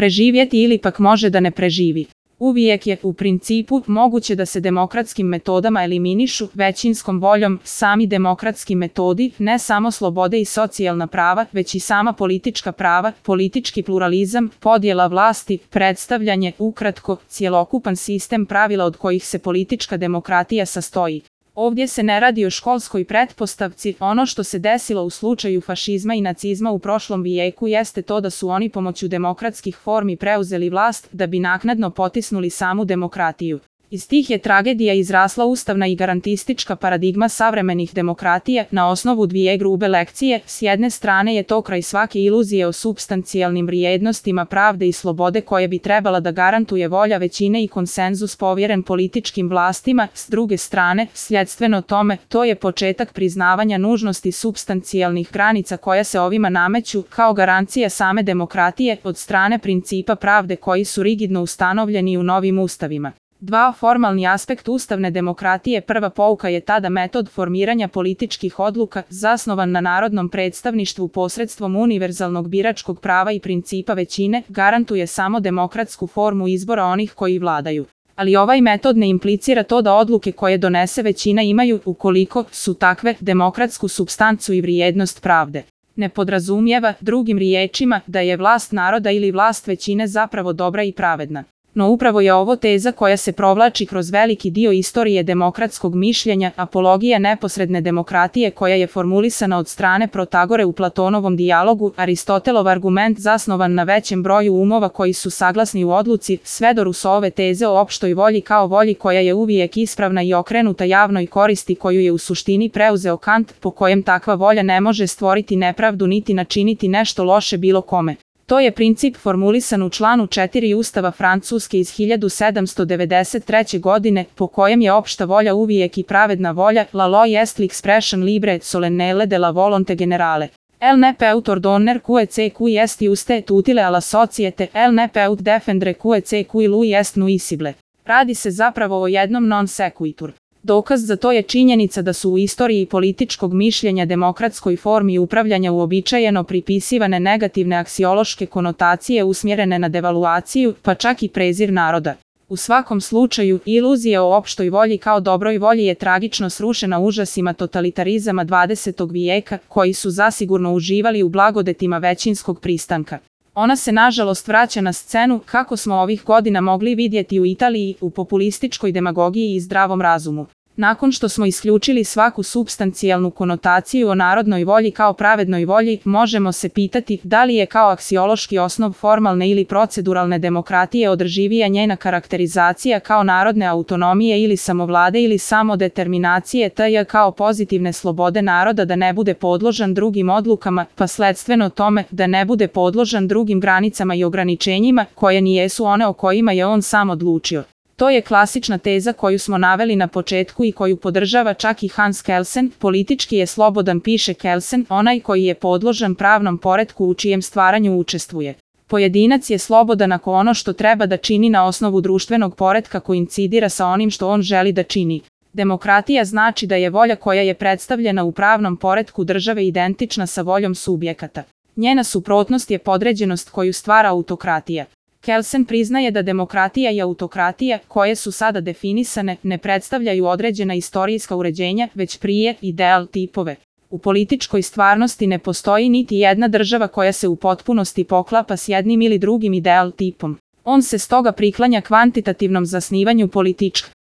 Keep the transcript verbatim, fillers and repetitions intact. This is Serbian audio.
preživjeti ili pak može da ne preživi. Uvijek je, u principu, moguće da se demokratskim metodama eliminišu, većinskom voljom, sami demokratski metodi, ne samo slobode i socijalna prava, već i sama politička prava, politički pluralizam, podjela vlasti, predstavljanje, ukratko, cjelokupan sistem pravila od kojih se politička demokratija sastoji. Ovdje se ne radi o školskoj pretpostavci, ono što se desilo u slučaju fašizma i nacizma u prošlom vijeku jeste to da su oni pomoću demokratskih formi preuzeli vlast da bi naknadno potisnuli samu demokratiju. Iz tih je tragedija izrasla ustavna i garantistička paradigma savremenih demokratija na osnovu dvije grube lekcije. S jedne strane je to kraj svake iluzije o supstancijalnim vrijednostima pravde i slobode koje bi trebala da garantuje volja većine i konsenzus povjeren političkim vlastima, s druge strane, sljedstveno tome, to je početak priznavanja nužnosti supstancijalnih granica koja se ovima nameću kao garancija same demokratije od strane principa pravde koji su rigidno ustanovljeni u novim ustavima. Dva, formalni aspekt ustavne demokratije. Prva pouka je tada metod formiranja političkih odluka zasnovan na narodnom predstavništvu posredstvom univerzalnog biračkog prava i principa većine garantuje samo demokratsku formu izbora onih koji vladaju. Ali ovaj metod ne implicira to da odluke koje donese većina imaju, ukoliko su takve, demokratsku supstancu i vrijednost pravde. Ne podrazumijeva, drugim riječima, da je vlast naroda ili vlast većine zapravo dobra i pravedna. No upravo je ovo teza koja se provlači kroz veliki dio istorije demokratskog mišljenja, apologija neposredne demokratije koja je formulisana od strane Protagore u Platonovom dijalogu, Aristotelov argument zasnovan na većem broju umova koji su saglasni u odluci, svedoru su ove teze o opštoj volji kao volji koja je uvijek ispravna i okrenuta javnoj koristi koju je u suštini preuzeo Kant, po kojem takva volja ne može stvoriti nepravdu niti načiniti nešto loše bilo kome. To je princip formulisan u članu četiri Ustava Francuske iz hiljadu sedamsto devedeset treće. godine, po kojem je opšta volja uvijek i pravedna volja, la loi est l'expression libre solennelle de la volonté générale. Elle ne peut ordonner que qui est juste utile à la société, elle ne peut défendre que qui lui est nuisible. Radi se zapravo o jednom non sequitur. Dokaz za to je činjenica da su u istoriji političkog mišljenja demokratskoj formi upravljanja uobičajeno pripisivane negativne aksiološke konotacije usmjerene na devaluaciju, pa čak i prezir naroda. U svakom slučaju, iluzija o opštoj volji kao dobroj volji je tragično srušena užasima totalitarizama dvadesetog vijeka, koji su zasigurno uživali u blagodetima većinskog pristanka. Ona se nažalost vraća na scenu, kako smo ovih godina mogli vidjeti u Italiji, u populističkoj demagogiji i zdravom razumu. Nakon što smo isključili svaku supstancijalnu konotaciju o narodnoj volji kao pravednoj volji, možemo se pitati da li je kao aksiološki osnov formalne ili proceduralne demokratije održivija njena karakterizacija kao narodne autonomije ili samovlade ili samodeterminacije tj. kao pozitivne slobode naroda da ne bude podložan drugim odlukama, pa sledstveno tome da ne bude podložan drugim granicama i ograničenjima koje nijesu one o kojima je on sam odlučio. To je klasična teza koju smo naveli na početku i koju podržava čak i Hans Kelsen, politički je slobodan, piše Kelsen, onaj koji je podložan pravnom poretku u čijem stvaranju učestvuje. Pojedinac je slobodan ako ono što treba da čini na osnovu društvenog poretka koincidira sa onim što on želi da čini. Demokratija znači da je volja koja je predstavljena u pravnom poretku države identična sa voljom subjekata. Njena suprotnost je podređenost koju stvara autokratija. Kelsen priznaje da demokratija i autokratija, koje su sada definisane, ne predstavljaju određena istorijska uređenja, već prije ideal tipove. U političkoj stvarnosti ne postoji niti jedna država koja se u potpunosti poklapa s jednim ili drugim ideal tipom. On se stoga priklanja kvantitativnom zasnivanju političkog